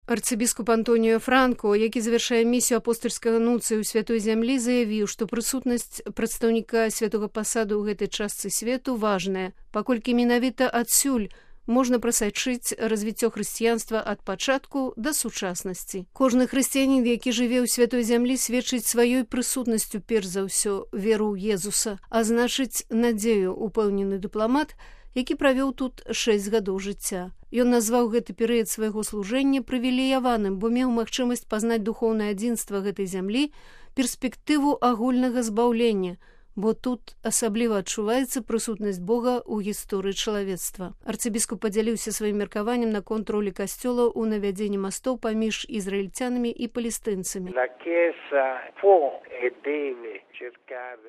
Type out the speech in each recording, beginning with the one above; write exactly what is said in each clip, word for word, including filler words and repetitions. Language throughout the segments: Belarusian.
Арцыбіскуп Антоніо Франко, які завяршае місію апостальскага нунцыю ў святой зямлі, заявіў, што прысутнасць прадстаўніка святога пасаду ў гэтай частцы свету важная, паколькі менавіта адсюль можна прасачыць развіццё хрысціянства ад пачатку да сучаснасці. Кожны хрысціянін, які жыве ў святой зямлі, сведчыць сваёй прысутнасцю перш за ўсё веру ў Езуса, а значыць надзею, упэўнены дыпламат, які правёў тут шэсць гадоў жыцця. Ён назваў гэты перыяд свайго служэння прывілеяваным, бо меў магчымасць пазнаць духоўнае адзінства гэтай зямлі, перспектыву агульнага збаўлення, бо тут асабліва адчуваецца прысутнасць Бога ў гісторыі чалавецтва. Арцыбіскуп падзяліўся сваім меркаваннем наконт ролі касцёла ў навядзенні мастоў паміж ізраільцянамі і палестынцамі.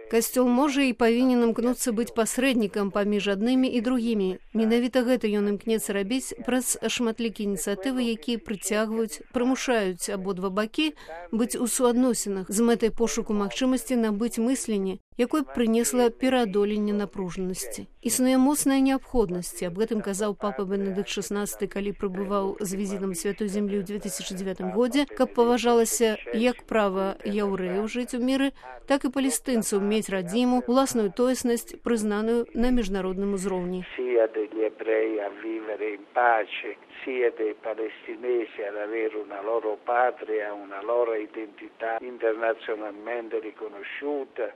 Касцёл можа і павінен імкнуцца быць пасрэднікам паміж аднымі і другімі. Менавіта гэта ён імкнецца рабіць праз шматлікія ініцыятывы, якія прыцягваюць, прымушаюць абодва бакі быць у суадносінах з мэтай пошуку магчымасці набыць мысленне, якое прынесла пераадоленне напружанасці. Існуе моцная неабходнасць, аб гэтым казаў папа Бенедыкт шаснаццаты, калі прыбываў з візітам святой зямлі ў две тысячы дзевятым годзе, каб паважалася як права яўрэяў жыць у міры, так і палестынцаў мець радзіму, уласную тоеснасць, прызнаную на міжнародным узроўні. Sia dei palestinesi ad avere una loro patria, una loro identità internazionalmente riconosciuta.